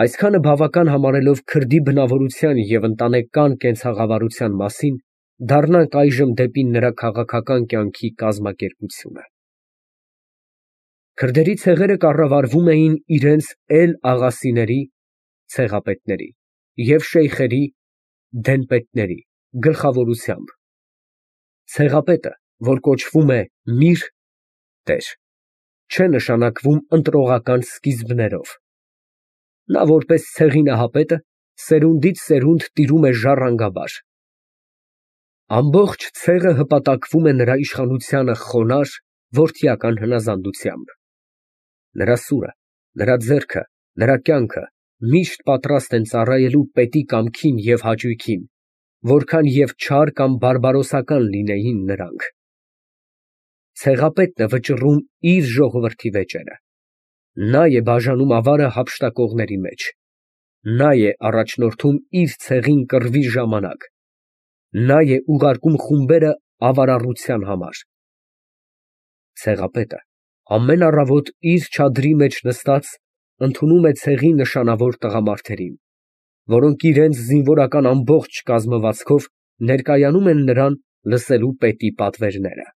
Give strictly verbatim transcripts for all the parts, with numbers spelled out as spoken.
Այսքանը բավական համարելով քրդի բնավորության և ընտանեկան կենցաղավարության մասին, դառնանք այժմ դեպի նրա քաղաքական կյանքի կազմակերպությունը։ Քրդերի ցեղերը կառավարվում էին իրենց էլ֊աղասիների (ցեղապետների) և շեյխերի (դենպետների) գլխավորությամբ։ Ցեղապետը, որ կոչվում է միր (տեր), չէ նշանակվում ընտրողական սկիզբներով։ Նա որպես ցեղի նահապետը սերունդից սերունդ տիրում է ժառանգաբար։ Ամբողջ ցեղը հպատակվում է նրա իշխանությանը խոնարհ, որդիական հնազանդությամբ։ Նրա սուրը, նրա ձեռքը, նրա կյանքը միշտ պատրաստ են ծառայելու պետի կամքին և հաճույքին, որքան և չար կամ բարբարոսական լինեին նրանք։ Ցեղապետն է վճռում իր ժողովրդի վեճերը։ Նա է բաժանում ավարը հափշտակողների մեջ։ Նա է առաջնորդում իր ցեղին կռվի ժամանակ։ Նա է ուղարկում խումբերը ավարառության համար։ Ցեղապետը ամեն առավոտ իր չադրի մեջ նստած ընդունում է ցեղի նշանավոր տղամարդերին, որոնք իրենց զինվորական ամբողջ կազմվածքով ներկայանում են նրան լսելու պետի պատվերները։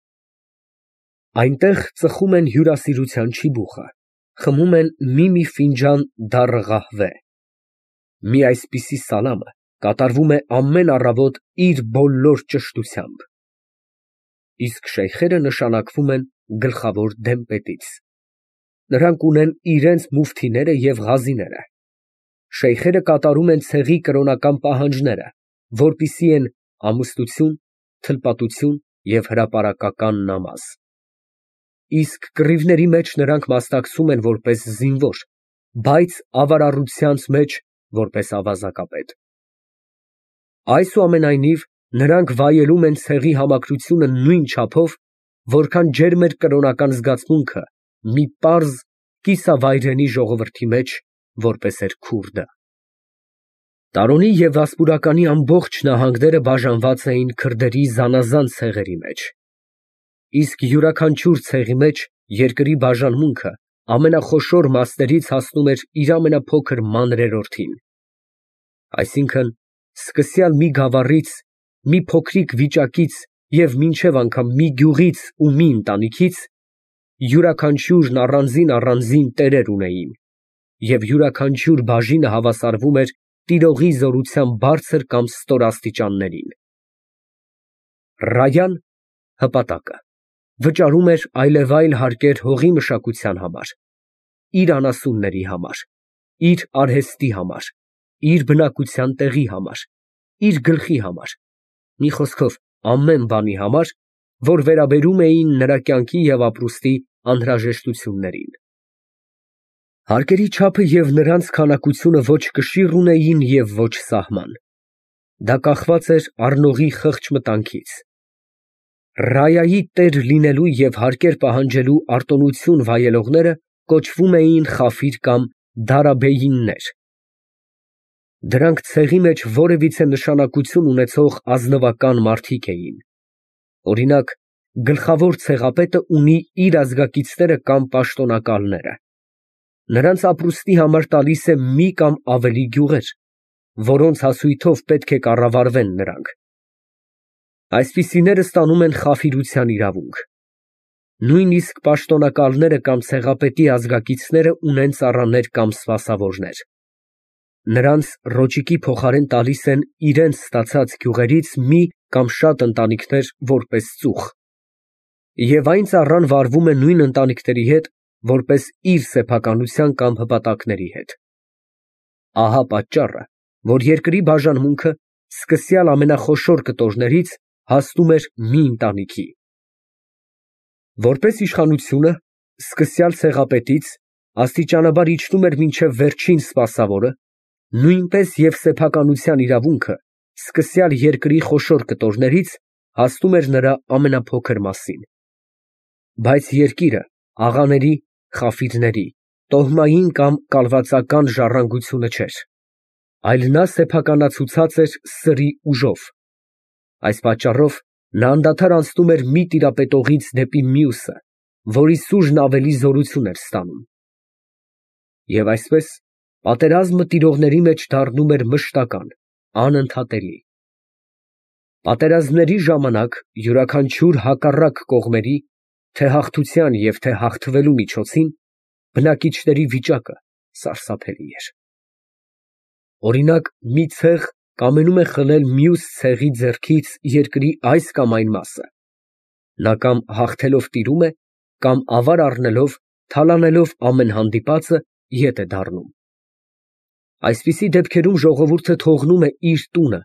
Այնտեղ ծխում են հյուրասիրության չիբուխը, խմում են մի֊մի ֆինջան դառը ղահվե։ Մի այսպիսի սալամը կատարվում է ամեն առավոտ իր բոլոր ճշտությամբ։ Իսկ շեյխերը նշանակվում են գլխավոր դենպետից։ Նրանք ունեն իրենց մուֆթիները և ղազիները։ Շեյխերը կատարում են ցեղի կրոնական պահանջները, որպիսի են ամուսնություն, թլպատություն և հրապարակական նամազ։ Իսկ կռիվների մեջ նրանք մասնակցում են որպես զինվոր, բայց ավարառությանց մեջ որպես ավազակապետ։ Այսուամենայնիվ, նրանք վայելում են ցեղի համակրությունը նույն չափով, որքան ջերմեր կրոնական զգացմունքը մի պարզ, կիսավայրենի ժողովրդի մեջ, որպես էր քուրդը։ Տարոնի և վասպուրականի ամբողջ նահանգները բաժանված էին քրդերի զանազան ցեղերի մեջ։ Իսկ յուրաքանչյուր ցեղի մեջ երկրի բաժանմունքը ամենախոշոր մասներից հասնում էր իր ամենափոքր մանրերորդին։ Այսինքն՝ սկսյալ մի գավառից, մի փոքրիկ վիճակից և մինչև անգամ մի գյուղից ու մի ընտանիքից, յուրաքանչյուրն առանձին֊առանձին տերեր ունեին, և յուրաքանչյուր բաժինը հավասարվում էր տիրողի զորության բարձր կամ ստոր աստիճաններին։ Ռայան (հպատակը) վճարում էր այլևայլ հարկեր հողի մշակության համար, իր անասունների համար, իր արհեստի համար, իր բնակության տեղի համար, իր գլխի համար, մի խոսքով ամեն բանի համար, որ վերաբերում էին նրա կյանքի և ապրուստի անհրաժեշտություններին։ Հարկերի չափը և նրանց քանակությունը ոչ կշիռ ունեին և ոչ սահման։ Դա կախված էր առնողի խղճ մտանքից։ Ռայայի տեր լինելու և հարկեր պահանջելու արտոնություն վայելողները կոչվում էին խաֆիր կամ դարաբեյիններ։ Դրանք ցեղի մեջ որևիցե նշանակություն ունեցող ազնվական մարդիկ էին։ Օրինակ, գլխավոր ցեղապետը ունի իր ազգակիցները կամ պաշտոնակալները։ Նրանց ապրուստի համար տալիս է մի կամ ավելի գյուղեր, որոնց հասույթով պետք է կառավարվեն նրանք։ Այսպիսիները ստանում են խաֆիրության իրավունք։ Նույնիսկ պաշտոնակալները կամ ցեղապետի ազգակիցները ունեն ծառաներ կամ սպասավորներ։ Նրանց ռոճիկի փոխարեն տալիս են իրենց ստացած գյուղերից մի կամ շատ ընտանիքներ որպես ծուխ, և այն ծառան վարվում է նույն ընտանիքների հետ, որպես իր սեփականության կամ հպատակների հետ։ Ահա պատճառը, որ երկրի բաժանմունքը սկսյալ ամենախոշոր կտորներից հասնում էր մի ընտանիքի։ Որպես իշխանությունը, սկսյալ ցեղապետից աստիճանաբար իջնում էր մինչև վերջին սպասավորը, նույնպես և սեփականության իրավունքը սկսյալ երկրի խոշոր կտորներից հասնում էր նրա ամենափոքր մասին։ Բայց երկիրը աղաների, խաֆիրների, տոհմային կամ կալվածական ժառանգությունը չէր, այլ նա սեփականացուցած էր սրի ուժով։ Այս պատճառով նա անդադար անցնում էր մի տիրապետողից դեպի մյուսը, որի սուժն ավելի զորություն էր ստանում։ Եվ այսպես, Պատերազմը տիրողների մեջ դառնում էր մշտական, անընդհատելի։ Պատերազմների ժամանակ յուրաքանչյուր հակառակ կողմերի, թե հաղթության և թե հաղթվելու միջոցին, բնակիչների վիճակը սարսափելի էր։ Օրինակ, մի ցեղ կամենում է խլել մյուս ցեղի ձեռքից երկրի այս կամ այն մասը, նա կամ հաղթելով տիրում է, կամ ավար առնելով, թալանելով ամեն հանդիպածը, ետ է դառնում։ Այսպիսի դեպքերում ժողովուրդը թողնում է իր տունը,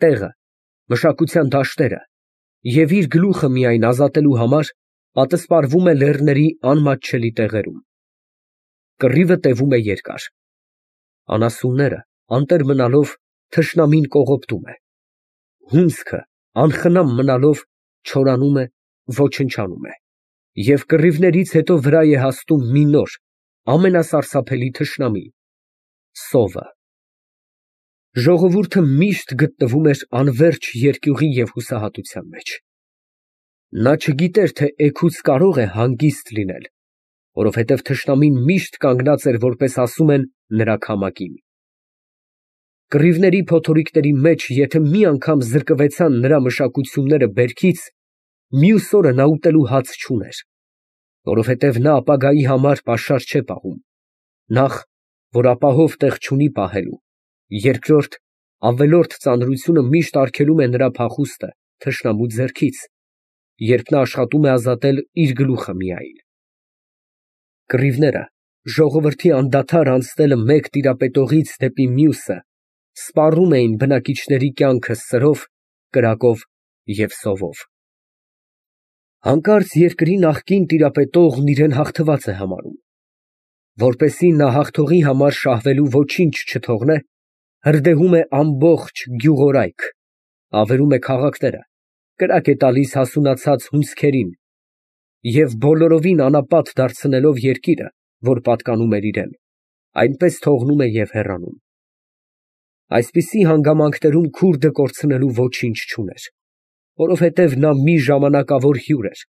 տեղը, մշակության դաշտերը և իր գլուխը միայն ազատելու համար պատսպարվում է լեռների անմատչելի տեղերում։ Կռիվը տևում է երկար։ Անասունները, անտեր մնալով, թշնամին կողոպտում է։ Հունձքը, անխնամ մնալով, չորանում է, ոչնչանում է, և կռիվներից հետո վրա է հասնում մի նոր, ամենասարսափելի թշնամի՝ սովը։ Ժողովուրդը միշտ գտնվում էր անվերջ երկյուղի և հուսահատության մեջ։ Նա չգիտեր, թե էգուց կարող է հանգիստ լինել, որովհետև թշնամին միշտ կանգնած էր, որպես ասում են, նրա քամակին։ Կռիվների փոթորիկների մեջ եթե մի անգամ զրկվեցան նրա մշակությունները բերքից, մյուս օրը նա ուտելու հաց չուներ, որովհետև նա ապագայի համար պաշար չէ պահում, նախ, որ ապահով տեղ չունի պահելու, երկրորդ, ավելորդ ծանրությունը միշտ արգելում է նրա փախուստը թշնամու ձեռքից, երբ նա աշխատում է ազատել իր գլուխը միայն։ Կռիվները, ժողովրդի անդադար անցնելը մեկ տիրապետողից դեպի մյուսը, սպառում էին բնակիչների կյանքը սրով, կրակով և սովով։ Հանկարծ երկրի նախկին տիրապետողն իրեն հաղթված է համարում։ Որպեսզի նա հաղթողի համար շահվելու ոչինչ չթողնե, հրդեհում է ամբողջ գյուղորայք, ավերում է քաղաքները, կրակ է տալիս հասունացած հունձքերին և բոլորովին անապատ դարձնելով երկիրը, որ պատկանում էր իրան, այնպես թողնում է և հեռանում։ Այսպիսի հանգամանքներում քուրդը կորցնելու ոչինչ չուներ, որովհետև նա մի ժամանակավոր հյուր էր,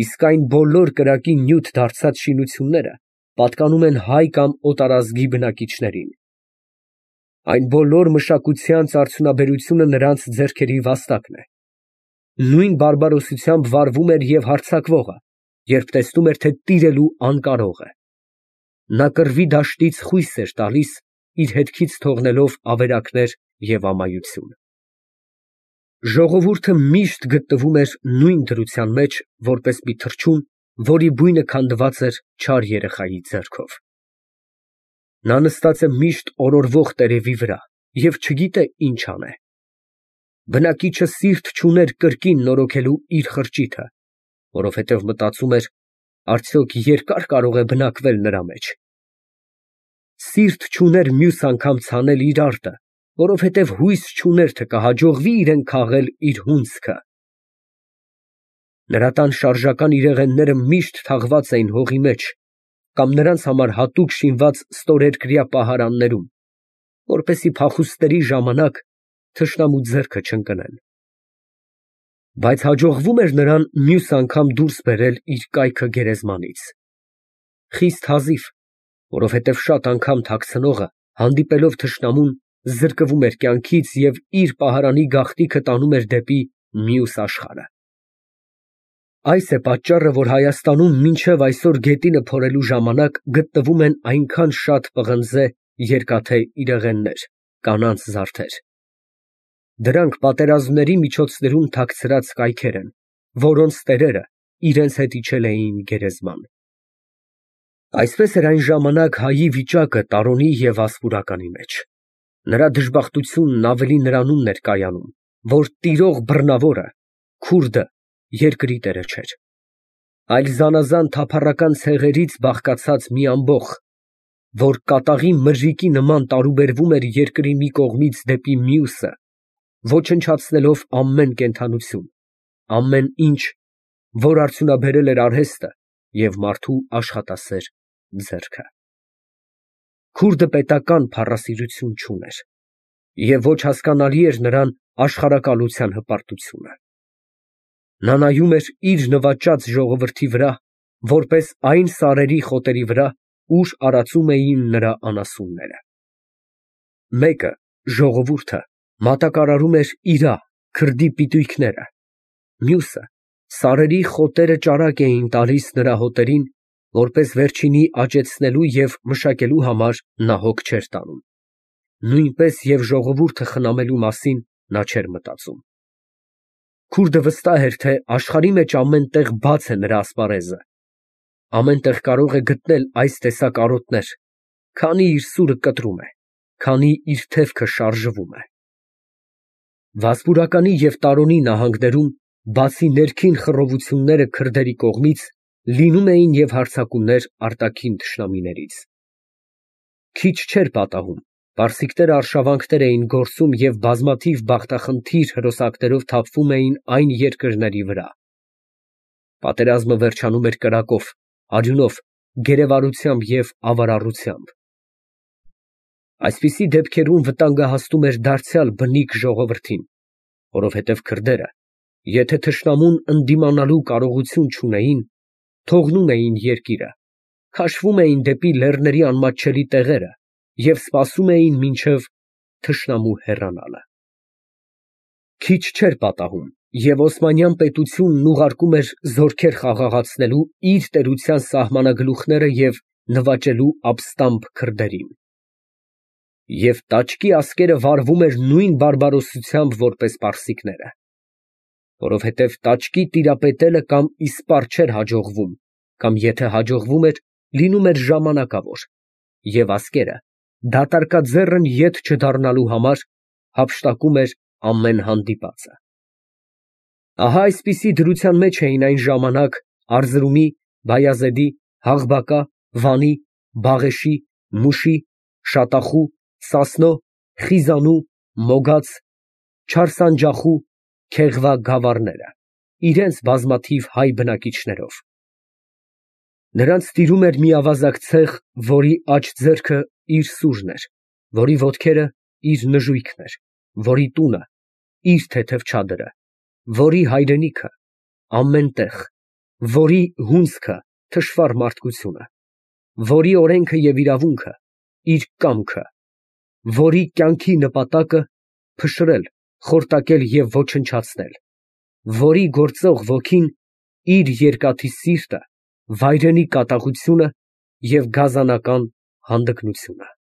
իսկ այն բոլոր կրակի նյութ դարձած շինությունները պատկանում են հայ կամ օտարազգի բնակիչներին։ Այն բոլոր մշակությանց արդյունաբերությունը նրանց ձեռքերի վաստակն է։ Նույն բարբարոսությամբ վարվում էր և հարձակվողը, երբ տեսնում էր, թե տիրելու անկարող է։ Նա կռվի դաշտից խույս էր տալիս, իր հետքից թողնելով ավերակներ և ամայություն։ Ժողովուրդը միշտ գտնվում էր նույն դրության մեջ, որպես մի թռչուն, որի բույնը քանդված էր չար երեխայի ձեռքով։ Նա նստած է միշտ օրորվող տերևի վրա և չգիտե ինչ անե։ Բնակիչը սիրտ չուներ կրկին նորոգելու իր խրճիթը, որովհետև մտածում էր, արդյոք երկա՞ր կարող է բնակվել նրա մեջ։ Սիրտ չուներ մյուս անգամ ցանել իր արտը, որովհետև հույս չուներ, թե կհաջողվի իրան քաղել իր հունձքը։ Նրա տան շարժական իրեղենները միշտ թաղված էին հողի մեջ կամ նրանց համար հատուկ շինված ստորերկրյա պահարաններում, որպեսզի փախուստների ժամանակ թշնամու ձեռքը չընկնեն։ Բայց հաջողվում էր նրան մյուս անգամ դուրս բերել իր կայքը գերեզմանից։ Խիստ հազիվ, որովհետև շատ անգամ թաքցնողը, հանդիպելով թշնամուն, զրկվում էր կյանքից և իր պահարանի գաղտնիքը տանում էր դեպի մյուս աշխարհը։ Այս է պատճառը, որ Հայաստանում մինչև այսօր գետինը փորելու ժամանակ գտնվում են այնքան շատ պղնձե երկաթե իրեղեններ, կանանց զարդեր։ Դրանք պատերազմների միջոցներում թաքցրած կայքեր են, որոնց տերերը իրենց հետ իջել էին գերեզման։ Այսպես էր այն ժամանակ հայի վիճակը Տարոնի և Վասպուրականի մեջ։ Նրա դժբախտությունն ավելի նրանումն էր կայանում, որ տիրող բռնավորը, քուրդը, երկրի տերը չէր, այլ զանազան թափառական ցեղերից բաղկացած մի ամբոխ, որ կատաղի մրրիկի նման տարուբերվում էր երկրի մի կողմից դեպի մյուսը, ոչնչացնելով ամեն կենդանություն, ամեն ինչ, որ արդյունաբերել էր արհեստը և մարդու աշխատասեր ձեռքը։ Քուրդը պետական փառասիրություն չուներ, և ոչ հասկանալի էր նրան աշխարհակալության հպարտությունը։ Նա նայում էր իր նվաճած ժողովրդի վրա, որպես այն սարերի խոտերի վրա, ուր արածում էին նրա անասունները։ Մեկը, ժողովուրդը, մատակարարում էր իրա, քրդի պիտույքները, մյուսը սարերի խոտերը ճարակ էին տալիս նրա հոտերին, որպես վերջինի աճեցնելու և մշակելու համար նա հոգ չէր տանում, նույնպես և ժողովուրդը խնամելու մասին նա չէր մտածում։ Քուրդը վստահ էր, թե աշխարհի մեջ ամեն տեղ բաց է նրա ասպարեզը, ամեն տեղ կարող է գտնել այս տեսակ արոտներ, քանի իր սուրը կտրում է, քանի իր թևքը շարժվում է։ Վասպուրականի և Տարոնի նահանգներում, բացի ներքին խռովությունները քրդերի կողմից, լինում էին և հարձակումներ արտաքին թշնամիներից։ Քիչ չէր պատահում, պարսիկները արշավանքներ էին գործում և բազմաթիվ բախտախնդիր հրոսակներով թափվում էին այն երկրների վրա։ Պատերազմը վերջանում էր կրակով, արյունով, գերեվարությամբ և ավարառությամբ։ Այսպիսի դեպքերում վտանգը հասնում էր դարձյալ բնիկ ժողովրդին, որովհետև քրդերը, եթե թշնամուն ընդդիմանալու կարողություն չունեին, թողնում էին երկիրը, քաշվում էին դեպի լեռների անմատչելի տեղերը և սպասում էին մինչև թշնամու հեռանալը։ Քիչ չէր պատահում, և Օսմանյան պետությունն ուղարկում էր զորքեր խաղաղացնելու իր տերության սահմանագլուխները և նվաճելու ապստամբ քրդերին։ Եվ տաճկի ասկերը վարվում էր նույն բարբարոսությամբ, որպես պարսիկները, որովհետև տաճկի տիրապետելը կամ իսպառ չէր հաջողվում, կամ եթե հաջողվում էր, լինում էր ժամանակավոր, և ասկերը, դատարկաձեռն ետ չդառնալու համար, հափշտակում էր ամեն հանդիպածը։ Ահա այսպիսի դրության մեջ էին այն ժամանակ Արզրումի, Բայազեդի, Հաղբակա, Վանի, Բաղեշի, Մուշի, Շատախու, Սասնո, Խիզանու, Մոգաց, Չարսանջախու, Քեղվա գավառները, իրենց բազմաթիվ հայ բնակիչներով։ Նրանց տիրում էր մի ավազակ ցեղ, որի աջ ձեռքը իր սուրն էր, որի ոտքերը իր նժույգն էր, որի տունը իր թեթև չադրը, որի հայրենիքը ամեն տեղ, որի հունձքը թշվառ մարդկությունը, որի օրենքը և իրավունքը իր կամքը, որի կյանքի նպատակը փշրել, խորտակել և ոչնչացնել, որի գործող ոգին իր երկաթի սիրտը, վայրենի կատաղությունը և գազանական հանդգնությունը։